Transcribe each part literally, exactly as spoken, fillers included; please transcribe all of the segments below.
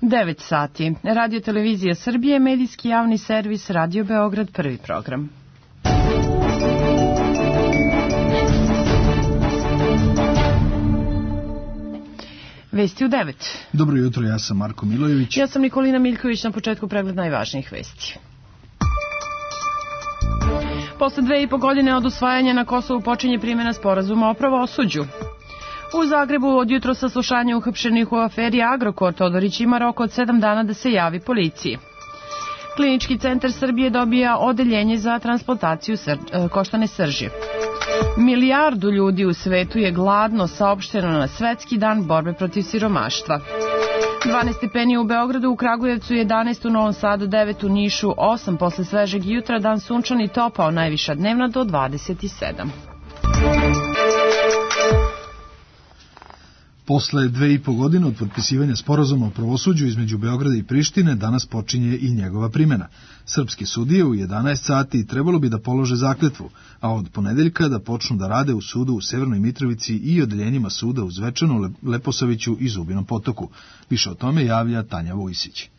devet sati. Radio Televizija Srbije, medijski javni servis, Radio Beograd, prvi program. Vesti u devet. Dobro jutro, ja sam Marko Milojević. Ja sam Nikolina Miljković, na početku pregled najvažnijih vesti. Posle dve i po godine od usvajanja na Kosovu počinje primjena sporazuma o pravosuđu. U Zagrebu od jutro saslušanja uhapšenih u aferi Agrokor, Todorić ima rok od sedam dana da se javi policiji. Klinički centar Srbije dobija odeljenje za transplantaciju sr koštane srži. Milijardu ljudi u svetu je gladno, saopšteno na Svetski dan borbe protiv siromaštva. dvanaest stepeni u Beogradu, u Kragujevcu jedanaest, u Novom Sadu devet, u Nišu osam, posle svežeg jutra dan sunčan i topao, najviša dnevna do dvadeset sedam. Posle dve i po godine od potpisivanja sporazuma o pravosuđu između Beograda i Prištine, danas počinje i njegova primjena. Srpske sudije u jedanaest sati trebalo bi da polože zakletvu, a od ponedeljka da počnu da rade u sudu u Severnoj Mitrovici i odeljenjima suda u Zvečanu, Leposaviću i Zubinom Potoku. Više o tome javlja Tanja Vojsić.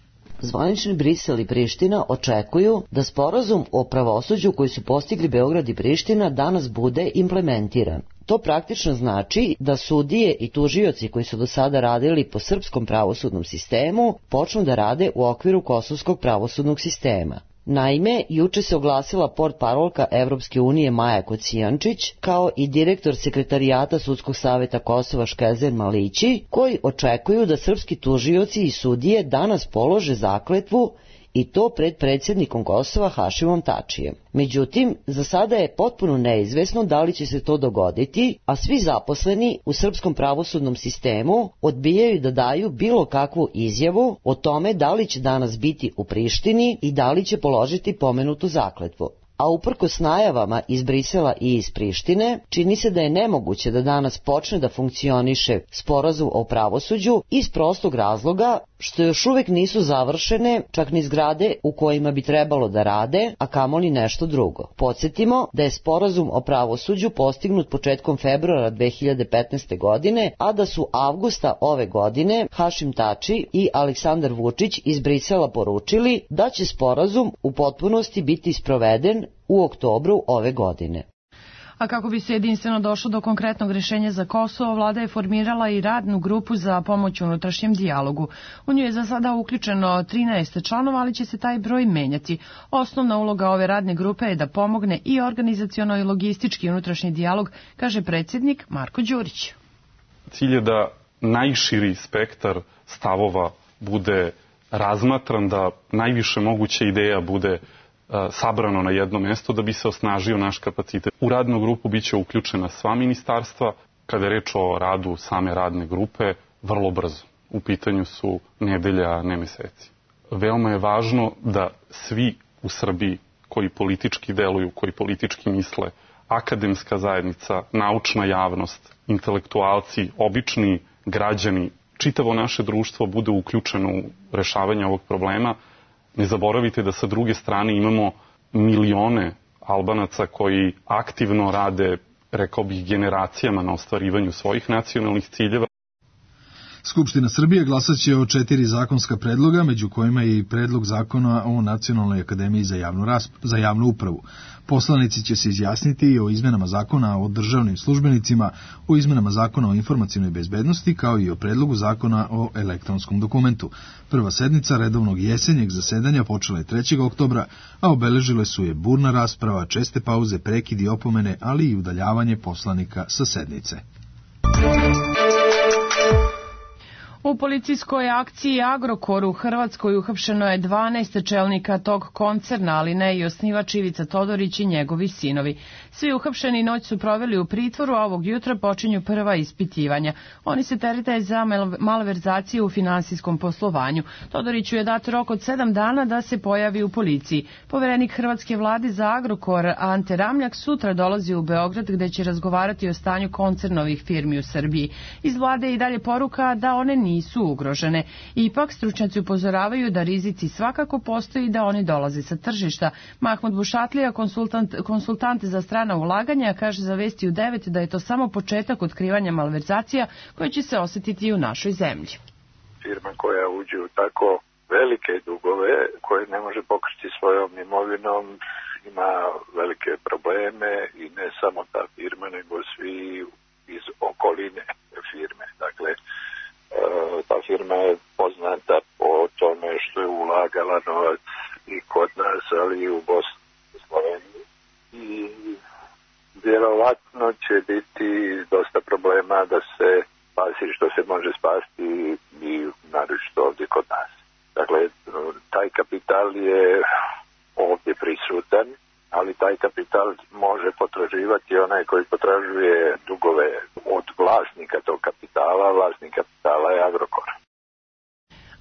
Zvanični Brisel i Priština očekuju da sporazum o pravosuđu koji su postigli Beograd i Priština danas bude implementiran. To praktično znači da sudije i tužioci koji su do sada radili po srpskom pravosudnom sistemu počnu da rade u okviru kosovskog pravosudnog sistema. Naime, juče se oglasila portparolka Evropske unije Maja Kocijančić, kao i direktor sekretarijata Sudskog saveta Kosova Škezen Malići, koji očekuju da srpski tužioci i sudije danas polože zakletvu i to pred predsjednikom Kosova Hašimom Tačijem. Međutim, za sada je potpuno neizvesno da li će se to dogoditi, a svi zaposleni u srpskom pravosudnom sistemu odbijaju da daju bilo kakvu izjavu o tome da li će danas biti u Prištini i da li će položiti pomenutu zakletvu. A uprkos najavama iz Brisela i iz Prištine, čini se da je nemoguće da danas počne da funkcioniše sporazum o pravosuđu iz prostog razloga što još uvek nisu završene čak ni zgrade u kojima bi trebalo da rade, a kamoli nešto drugo. Podsjetimo da je sporazum o pravosuđu postignut početkom februara dve hiljade petnaeste. godine, a da su avgusta ove godine Hašim Tači i Aleksandar Vučić iz Brisela poručili da će sporazum u potpunosti biti sproveden u oktobru ove godine. A kako bi se jedinstveno došlo do konkretnog rješenja za Kosovo, vlada je formirala i radnu grupu za pomoć unutrašnjem dijalogu. U nju je za sada uključeno trinaest članova, ali će se taj broj menjati. Osnovna uloga ove radne grupe je da pomogne i organizaciono i logistički unutrašnji dijalog, kaže predsjednik Marko Đurić. Cilj je da najširi spektar stavova bude razmatran, da najviše moguće ideja bude sabrano na jedno mesto da bi se osnažio naš kapacitet. U radnu grupu biće uključena sva ministarstva. Kada je reč o radu same radne grupe, vrlo brzo. U pitanju su nedelja, a ne meseci. Veoma je važno da svi u Srbiji koji politički deluju, koji politički misle, akademska zajednica, naučna javnost, intelektualci, obični građani, čitavo naše društvo bude uključeno u rešavanje ovog problema. Ne zaboravite da sa druge strane imamo milione Albanaca koji aktivno rade, rekao bih, generacijama na ostvarivanju svojih nacionalnih ciljeva. Skupština Srbije glasaće o četiri zakonska predloga, među kojima je i predlog zakona o Nacionalnoj akademiji za javnu, rasp... za javnu upravu. Poslanici će se izjasniti i o izmenama zakona o državnim službenicima, o izmenama zakona o informacionoj bezbednosti, kao i o predlogu zakona o elektronskom dokumentu. Prva sednica redovnog jesenjeg zasedanja počela je trećeg oktobra, a obeležile su je burna rasprava, česte pauze, prekidi, opomene, ali i udaljavanje poslanika sa sednice. U policijskoj akciji Agrokor u Hrvatskoj uhapšeno je dvanaest čelnika tog koncerna, ali ne i osnivač Ivica Todorić i njegovi sinovi. Svi uhapšeni noć su proveli u pritvoru, a ovog jutra počinju prva ispitivanja. Oni se terete za malverzacije u finansijskom poslovanju. Todoriću je dat rok od sedam dana da se pojavi u policiji. Poverenik Hrvatske vlade za Agrokor Ante Ramljak sutra dolazi u Beograd gde će razgovarati o stanju koncernovih firmi u Srbiji. Iz vlade i dalje poruka da one nisu ugrožene. Ipak stručnjaci upozoravaju da rizici svakako postoji i da oni dolaze sa tržišta. Mahmud Bušatlija, konsultant, konsultant za strana ulaganja, kaže za Vesti u devet da je to samo početak otkrivanja malverzacija koje će se osjetiti i u našoj zemlji. firma koja uđe u tako velike dugove koje ne može pokriti svojom imovinom, ima velike probleme i ne samo ta firma, nego svi iz okoline firme. Dakle, ta firma je poznata po tome što je ulagala novac i kod nas, ali i u Bosni i Sloveniji. I vjerovatno će biti dosta problema da se spasi što se može spasti i naročito ovdje kod nas. Dakle, taj kapital je ovdje prisutan, ali taj kapital može potraživati onaj koji potražuje dugove od vlasnika tog kapitala. Vlasnik kapitala je Agrokor.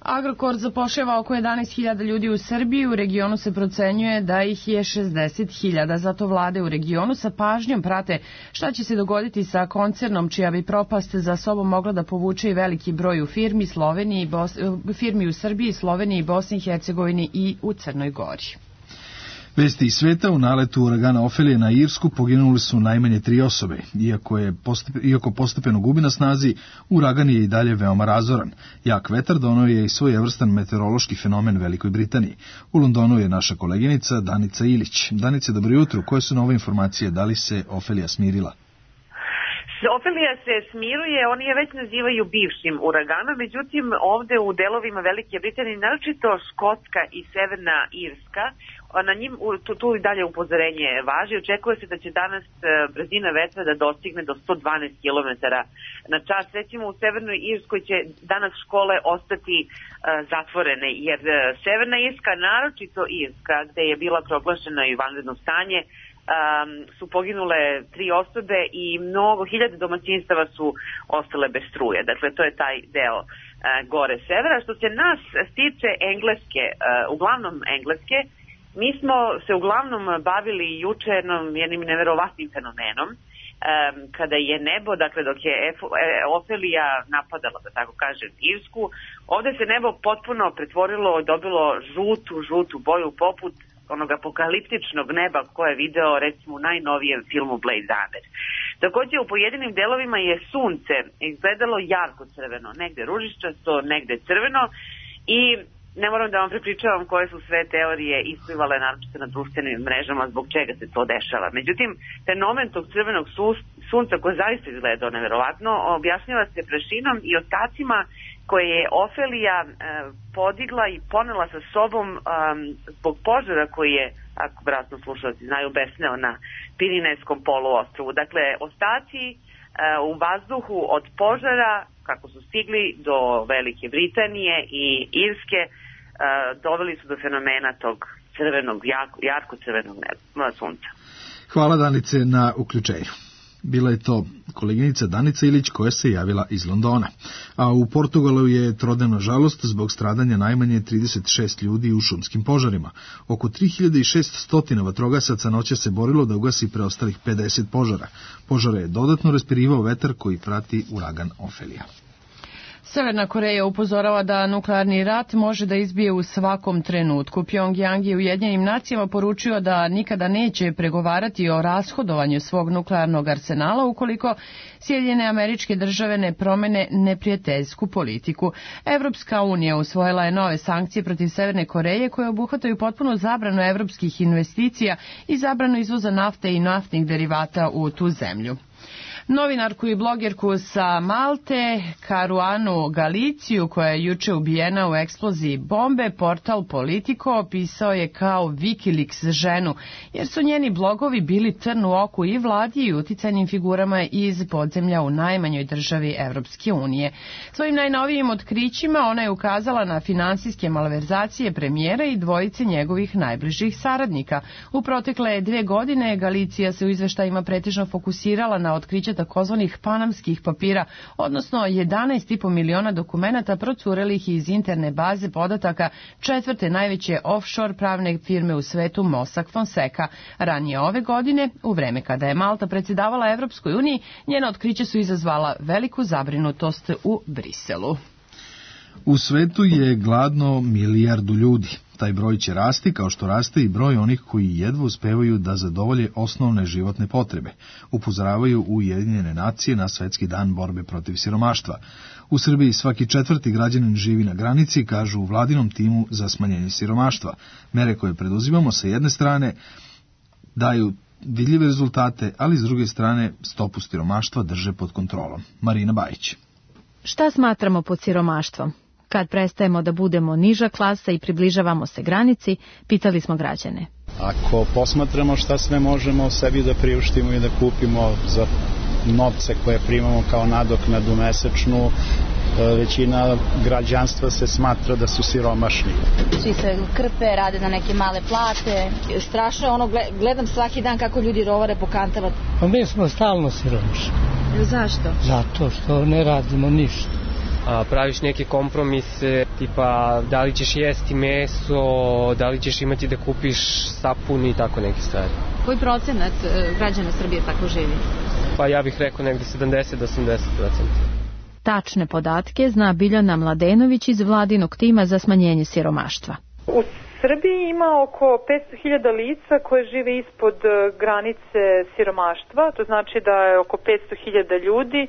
Agrokor zapošljava oko jedanaest hiljada ljudi u Srbiji, u regionu se procenjuje da ih je šezdeset hiljada, zato vlade u regionu sa pažnjom prate šta će se dogoditi sa koncernom čija bi propast za sobom mogla da povuče i veliki broj u firmi, Sloveniji, Bos... firmi u Srbiji, Sloveniji, Bosni i Hercegovini i u Crnoj Gori. Vesti iz sveta, u naletu uragana Ofelije na Irsku poginuli su najmanje tri osobe. Iako, je postepe, iako postepeno gubi na snazi, uragan je i dalje veoma razoran. Jak vetar doneo je i svojevrstan meteorološki fenomen Velikoj Britaniji. U Londonu je naša koleginica Danica Ilić. Danice, dobro jutro. Koje su nove informacije? Da li se Ofelija smirila? Ofelija se smiruje, oni je već nazivaju bivšim uraganom, međutim ovde u delovima Velike Britanije, naročito Škotska i Severna Irska, na njim tu, tu i dalje upozorenje važi. Očekuje se da će danas brzina vetra da dostigne do sto dvanaest kilometara na čas. Recimo u Severnoj Irskoj će danas škole ostati uh, zatvorene, jer uh, Severna Irska, naročito Irska, gde je bila proglašena i vanredno stanje, Um, su poginule tri osobe i mnogo hiljade domaćinstava su ostale bez struje. Dakle, to je taj deo uh, gore severa. Što se nas stiče Engleske, uh, uglavnom Engleske, mi smo se uglavnom bavili juče jednim neverovatnim fenomenom, um, kada je nebo, dakle dok je Ofelija napadala, da tako kažem, Irsku, ovde se nebo potpuno pretvorilo, dobilo žutu, žutu boju poput onog apokaliptičnog neba koje je video recimo u najnovijem filmu Blade Runner. Takođe u pojedinim delovima je sunce izgledalo jarko crveno, negde ružičasto, negde crveno i ne moram da vam prepričavam koje su sve teorije isplivale naročito na društvenim mrežama zbog čega se to dešava. Međutim, fenomen tog crvenog sunca koje zaista izgledao neverovatno objašnjava se prašinom i ostacima koje je Ofelija e, podigla i ponela sa sobom um, zbog požara koji je, ako vratno slušalci znaju, besneo na Pirinejskom poluostrvu. Dakle, ostaci e, u vazduhu od požara, kako su stigli do Velike Britanije i Irske, e, doveli su do fenomena tog crvenog, jako, jarko crvenog neba, sunca. Hvala Danice na uključenju. Bila je to koleginica Danica Ilić koja se javila iz Londona. A u Portugalu je trodnevna žalost zbog stradanja najmanje trideset šest ljudi u šumskim požarima. Oko tri hiljade šessto vatrogasaca noća se borilo da ugasi preostalih pedeset požara. Požare je dodatno raspirivao vetar koji prati uragan Ofelija. Severna Koreja upozorava da nuklearni rat može da izbije u svakom trenutku. Pjongjang je Ujedinjenim nacijama poručio da nikada neće pregovarati o rashodovanju svog nuklearnog arsenala ukoliko Sjedinjene Američke Države ne promene neprijateljsku politiku. Evropska unija usvojila je nove sankcije protiv Severne Koreje koje obuhvataju potpunu zabranu evropskih investicija i zabranu izvoza nafte i naftnih derivata u tu zemlju. Novinarku i blogerku sa Malte, Karuanu Galiciju, koja je juče ubijena u eksploziji bombe, portal Politico opisao je kao Wikileaks ženu, jer su njeni blogovi bili trn u oku i vladi i uticajnim figurama iz podzemlja u najmanjoj državi Evropske unije. Svojim najnovijim otkrićima ona je ukazala na finansijske malverzacije premijera i dvojice njegovih najbližih saradnika. U protekle dve godine Galicija se u izveštajima pretežno fokusirala na otkriće takozvanih panamskih papira, odnosno jedanaest i po miliona dokumenata procurelih iz interne baze podataka četvrte najveće offshore pravne firme u svetu Mossack Fonseca. Ranije ove godine, u vreme kada je Malta predsjedavala Evropskoj uniji, njena otkrića su izazvala veliku zabrinutost u Briselu. U svetu je gladno milijardu ljudi. Taj broj će rasti kao što raste i broj onih koji jedva uspevaju da zadovolje osnovne životne potrebe, upozoravaju Ujedinjene nacije na Svetski dan borbe protiv siromaštva. U Srbiji svaki četvrti građanin živi na granici, kažu u vladinom timu za smanjenje siromaštva. Mere koje preduzimamo sa jedne strane daju vidljive rezultate, ali s druge strane stopu siromaštva drže pod kontrolom. Marina Bajić. Šta smatramo pod siromaštvom? Kad prestajemo da budemo niža klasa i približavamo se granici, pitali smo građane. Ako posmatramo šta sve možemo sebi da priuštimo i da kupimo za novce koje primamo kao nadoknadu mesečnu, većina građanstva se smatra da su siromašni. Svi se krpe, rade na neke male plate. Strašno je ono, gledam svaki dan kako ljudi rovare po kantama. Pa mi smo stalno siromašni. Zašto? Zato što ne radimo ništa. A, praviš neke kompromise, tipa da li ćeš jesti meso, da li ćeš imati da kupiš sapun i tako neke stvari. Koji procenat građana Srbije tako živi? Pa ja bih rekao negde sedamdeset do osamdeset procenta. Tačne podatke zna Biljana Mladenović iz vladinog tima za smanjenje siromaštva. U Srbiji ima oko petsto hiljada lica koje žive ispod granice siromaštva, to znači da je oko petsto hiljada ljudi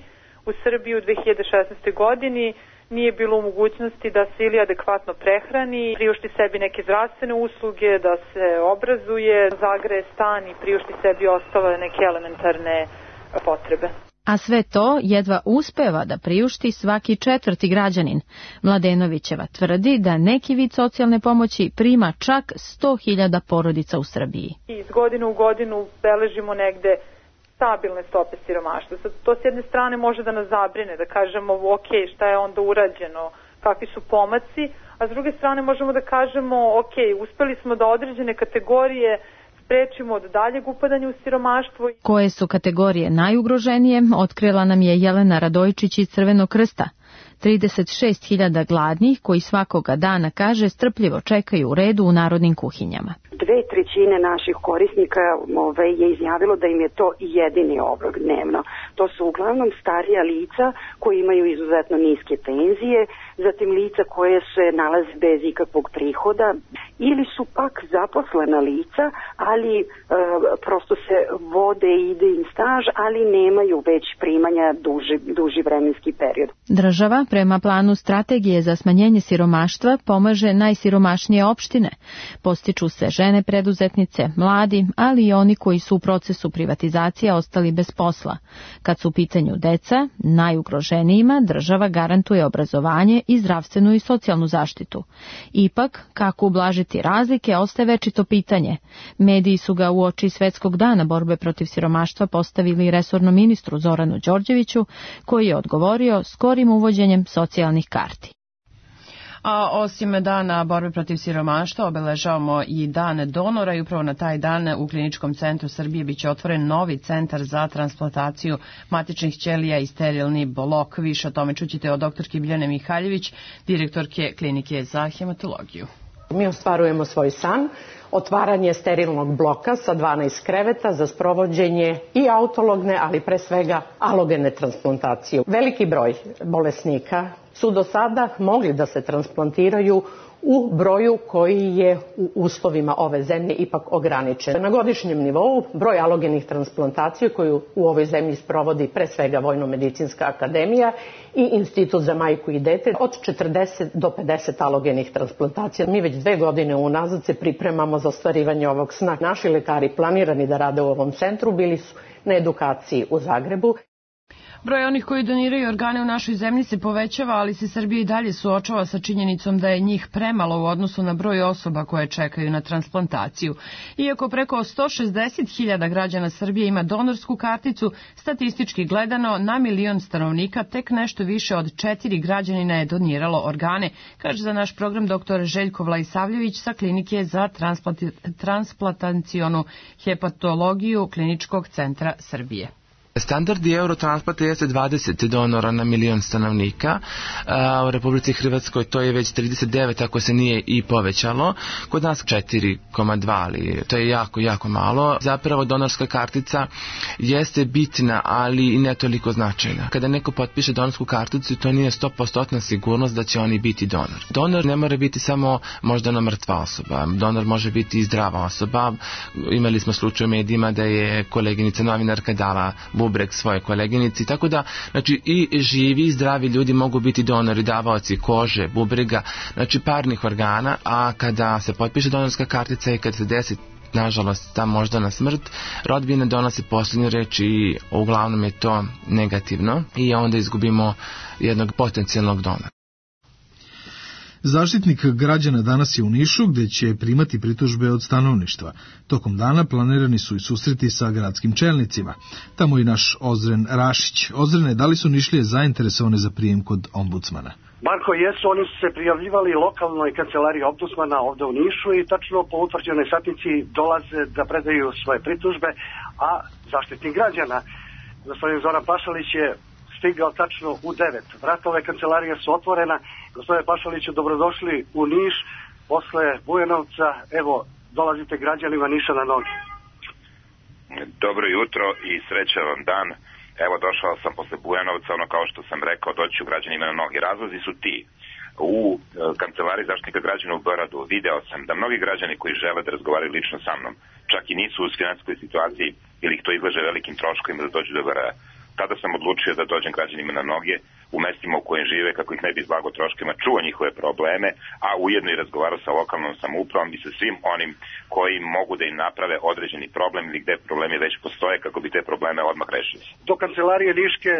u Srbiji u dve hiljade šesnaestoj. godini nije bilo u mogućnosti da se ili adekvatno prehrani, priušti sebi neke zdravstvene usluge, da se obrazuje, zagreje stan i priušti sebi ostale neke elementarne potrebe. A sve to jedva uspeva da priušti svaki četvrti građanin. Mladenovićeva tvrdi da neki vid socijalne pomoći prima čak sto hiljada porodica u Srbiji. Iz godine u godinu beležimo negde stabilne stope siromaštva. To s jedne strane može da nas zabrine, da kažemo ok, šta je onda urađeno, kakvi su pomaci, a s druge strane možemo da kažemo ok, uspeli smo da određene kategorije sprečimo od daljeg upadanja u siromaštvo. Koje su kategorije najugroženije, otkrila nam je Jelena Radojčić iz Crvenog krsta. trideset šest hiljada gladnih koji svakoga dana, kaže, strpljivo čekaju u redu u narodnim kuhinjama. Dve trećine naših korisnika ove, je izjavilo da im je to jedini obrok dnevno. To su uglavnom starija lica koji imaju izuzetno niske penzije, zatim lica koje se nalaze bez ikakvog prihoda ili su pak zaposlena lica, ali e, prosto se vode i ide im staž, ali nemaju već primanja duži, duži vremenski period. Država prema planu strategije za smanjenje siromaštva pomaže najsiromašnije opštine. Postiču se žene preduzetnice, mladi, ali i oni koji su u procesu privatizacije ostali bez posla. Kad su u pitanju deca, najugroženijima država garantuje obrazovanje i zdravstvenu i socijalnu zaštitu. Ipak, kako ublažiti razlike, ostaje večito pitanje. Mediji su ga uoči Svetskog dana borbe protiv siromaštva postavili resornom ministru Zoranu Đorđeviću, koji je odgovorio skorim uvođenjem socijalnih karti. A osim dana borbe protiv siromaštva obeležavamo i dan donora i upravo na taj dan u Kliničkom centru Srbije biće otvoren novi centar za transplantaciju matičnih ćelija i sterilni blok. Više o tome čućete od doktorke Biljane Mihaljević, direktorke Klinike za hematologiju. Mi ostvarujemo svoj san, otvaranje sterilnog bloka sa dvanaest kreveta za sprovođenje i autologne, ali pre svega alogene transplantacije. Veliki broj bolesnika su do sada mogli da se transplantiraju u broju koji je u uslovima ove zemlje ipak ograničen. Na godišnjem nivou broj alogenih transplantacija koju u ovoj zemlji sprovodi pre svega Vojno-medicinska akademija i Institut za majku i dete od četrdeset do pedeset alogenih transplantacija. Mi već dve godine unazad se pripremamo za ostvarivanje ovog sna. Naši lekari planirani da rade u ovom centru bili su na edukaciji u Zagrebu. Broj onih koji doniraju organe u našoj zemlji se povećava, ali se Srbija i dalje suočava sa činjenicom da je njih premalo u odnosu na broj osoba koje čekaju na transplantaciju. Iako preko sto šezdeset hiljada građana Srbije ima donorsku karticu, statistički gledano na milion stanovnika tek nešto više od četiri građanina je doniralo organe, kaže za naš program doktor Željko Vlajsavljević sa Klinike za transplantacionu hepatologiju Kliničkog centra Srbije. Standardi Eurotransplanta jeste dvadeset donora na milion stanovnika. U Republici Hrvatskoj to je već trideset devet, ako se nije i povećalo. Kod nas četiri zarez dva, ali to je jako, jako malo. Zapravo donorska kartica jeste bitna, ali i ne toliko značajna. Kada neko potpiše donorsku karticu, to nije sto posto sigurnost da će oni biti donor. Donor ne mora biti samo moždana mrtva osoba. Donor može biti i zdrava osoba. Imali smo slučaj u medijima da je koleginica novinarka dala bubreg svoje koleginici, tako da znači i živi i zdravi ljudi mogu biti donori, davaoci kože, bubrega, znači parnih organa, a kada se potpiše donorska kartica i kad se desi nažalost ta moždana smrt, rodbina donosi posljednju reč i uglavnom je to negativno i onda izgubimo jednog potencijalnog donora. Zaštitnik građana danas je u Nišu, gde će primati pritužbe od stanovništva. Tokom dana planirani su i susreti sa gradskim čelnicima. Tamo i naš Ozren Rašić. Ozrene, da li su Nišlije zainteresovane za prijem kod ombudsmana? Marko, jesu, oni su se prijavljivali lokalnoj kancelariji ombudsmana ovde u Nišu i tačno po utvrđenoj satnici dolaze da predaju svoje pritužbe, a zaštitnik građana, gospodin Zoran Pašalić, je stigao tačno u devet. Vrata ove kancelarije su otvorena. Gospodine Pašaliću, dobrodošli u Niš posle Bujanovca. Evo, dolazite građanima Niša na noge. Dobro jutro i srećan vam dan. Evo, došao sam posle Bujanovca, ono kao što sam rekao, doći ću građanima na noge. Razlozi su ti. U kancelariji zaštitnika građana u Beogradu video sam da mnogi građani koji žele da razgovaraju lično sa mnom, čak i nisu u finansijskoj situaciji ili ih to izlaže velikim troškovima da dođu do B R A. Tada sam odlučio da dođem građanima na noge u mestima u kojim žive, kako ih ne bi izlago troškovima, čuo njihove probleme, a ujedno i razgovarao sa lokalnom samoupravom i sa svim onim koji mogu da im naprave određeni problem ili gde problemi već postoje, kako bi te probleme odmah rešili. Do kancelarije Niške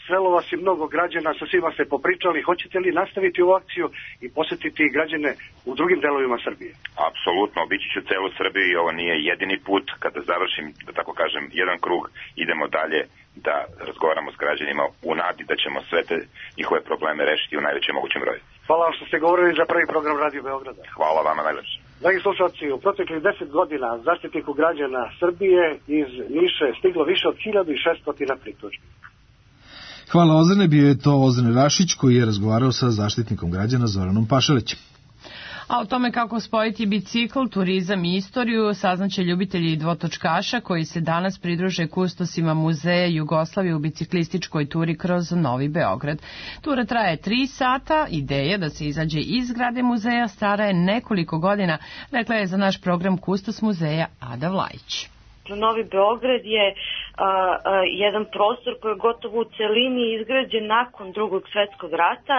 srelo vas i mnogo građana, sa svima ste popričali. Hoćete li nastaviti ovu akciju i posetiti građane u drugim delovima Srbije? Apsolutno, obići ću celu Srbiju i ovo nije jedini put. Kada završim, da tako kažem, jedan krug, idemo dalje da razgovaramo s građanima u nadi da ćemo sve te njihove probleme rešiti u najvećem mogućem broju. Hvala vam što ste govorili za prvi program Radio Beograda. Hvala vama najlepše. Dragi slušalci, u proteklih deset godina zaštitniku građana Srbije iz Niše stiglo više od hiljadu šesto pritužbi. Hvala Ozrene, bio je to Ozren Rašić koji je razgovarao sa zaštitnikom građana Zoranom Pašalićem. A o tome kako spojiti bicikl, turizam i istoriju saznaće ljubitelji dvotočkaša koji se danas pridruže kustosima Muzeja Jugoslavije u biciklističkoj turi kroz Novi Beograd. Tura traje tri sata, ideja da se izađe iz zgrade muzeja stara je nekoliko godina, rekla je za naš program Kustos muzeja Ada Vlajić. Novi Beograd je a, a, jedan prostor koji je gotovo u celini izgrađen nakon Drugog svetskog rata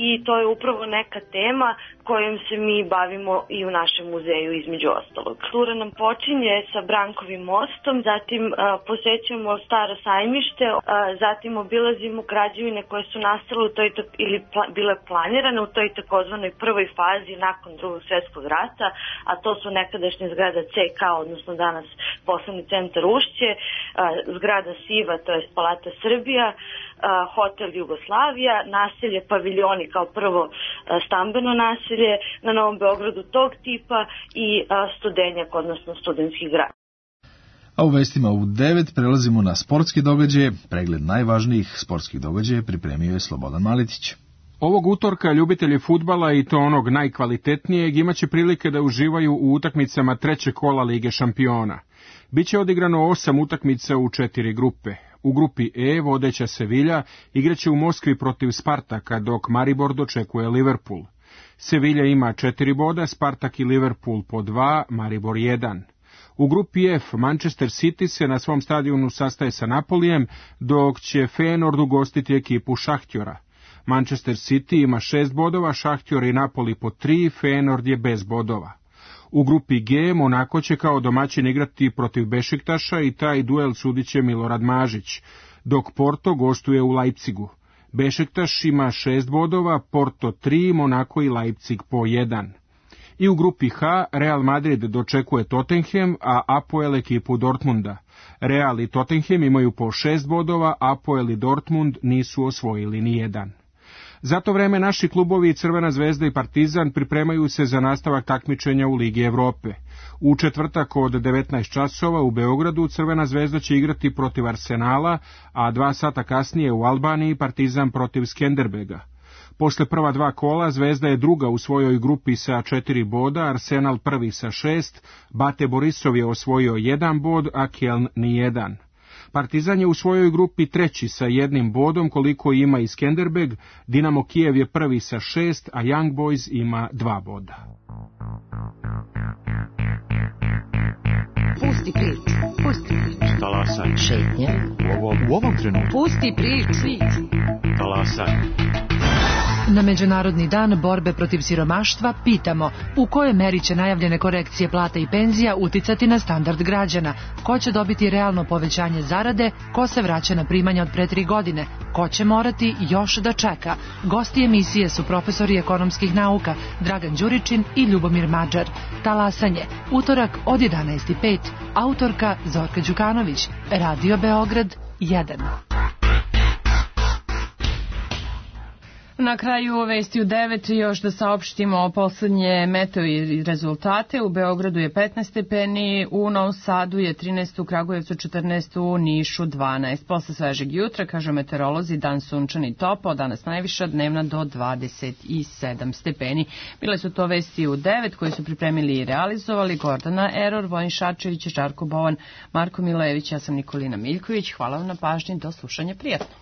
i to je upravo neka tema kojom se mi bavimo i u našem muzeju između ostalog. Tura nam počinje sa Brankovim mostom, zatim a, posećujemo Staro sajmište, a, zatim obilazimo građevine koje su nastale u toj ili pla, bile planirane u toj takozvanoj prvoj fazi nakon Drugog svetskog rata, a to su nekadašnje zgrada C K, odnosno danas poslovni centar Ušće, a, zgrada Siva, to je Palata Srbija, a, hotel Jugoslavija, naselje Paviljoni kao prvo a, stambeno naselje na Novom Beogradu tog tipa i a, Studenjak, odnosno studentski grad. A u vestima u devet prelazimo na sportske događaje. Pregled najvažnijih sportskih događaja pripremio je Slobodan Maletić. Ovog utorka ljubitelji fudbala i to onog najkvalitetnijeg imaće prilike da uživaju u utakmicama trećeg kola Lige šampiona. Biće odigrano osam utakmica u četiri grupe. U grupi E vodeća Sevilja igraće u Moskvi protiv Spartaka, dok Maribor dočekuje Liverpool. Sevilja ima četiri boda, Spartak i Liverpool po dva, Maribor jedan. U grupi F Manchester City se na svom stadionu sastaje sa Napolijem, dok će Feyenoord ugostiti ekipu Šahtjora. Manchester City ima šest bodova, Šahtjor i Napoli po tri, Feyenoord je bez bodova. U grupi G Monako će kao domaćin igrati protiv Bešiktaša i taj duel sudiće Milorad Mažić, dok Porto gostuje u Leipzigu. Bešiktaš ima šest bodova, Porto tri, Monako i Leipzig po jedan. I u grupi H Real Madrid dočekuje Tottenham, a Apoel ekipu Dortmunda. Real i Tottenham imaju po šest bodova, Apoel i Dortmund nisu osvojili ni jedan. Za to vreme naši klubovi Crvena zvezda i Partizan pripremaju se za nastavak takmičenja u Ligi Evrope. U četvrtak od devetnaest časova u Beogradu Crvena zvezda će igrati protiv Arsenala, a dva sata kasnije u Albaniji Partizan protiv Skenderbega. Posle prva dva kola Zvezda je druga u svojoj grupi sa četiri boda, Arsenal prvi sa šest, Bate Borisov je osvojio jedan bod, a Keln ni jedan. Partizan je u svojoj grupi treći sa jednim bodom koliko ima i Skenderbeg, Dinamo Kijev je prvi sa šest, a Young Boys ima dva boda. Pusti priču, pusti priču. Talasaj. Šetnje. U ovom, u ovom trenutku. Pusti priču. Talasaj. Na Međunarodni dan borbe protiv siromaštva pitamo u kojoj meri će najavljene korekcije plata i penzija uticati na standard građana, ko će dobiti realno povećanje zarade, ko se vraća na primanja od pre tri godine, ko će morati još da čeka. Gosti emisije su profesori ekonomskih nauka Dragan Đuričin i Ljubomir Mađar. Talasanje, utorak od jedanaest i pet, autorka Zorka Đukanović, Radio Beograd jedan. Na kraju vesti u devet još da saopštimo poslednje meteo i rezultate. U Beogradu je petnaest stepeni, u Novom Sadu je trinaest, u Kragujevcu četrnaest, u Nišu dvanaest. Posle svežeg jutra, kažu meteorolozi, dan sunčan i topao, danas najviša dnevna do dvadeset sedam stepeni. Bile su to vesti u devet koje su pripremili i realizovali Gordana Eror, Vojin Šačević, Žarko Bovan, Marko Milević, ja sam Nikolina Miljković. Hvala vam na pažnji, do slušanja, prijatno.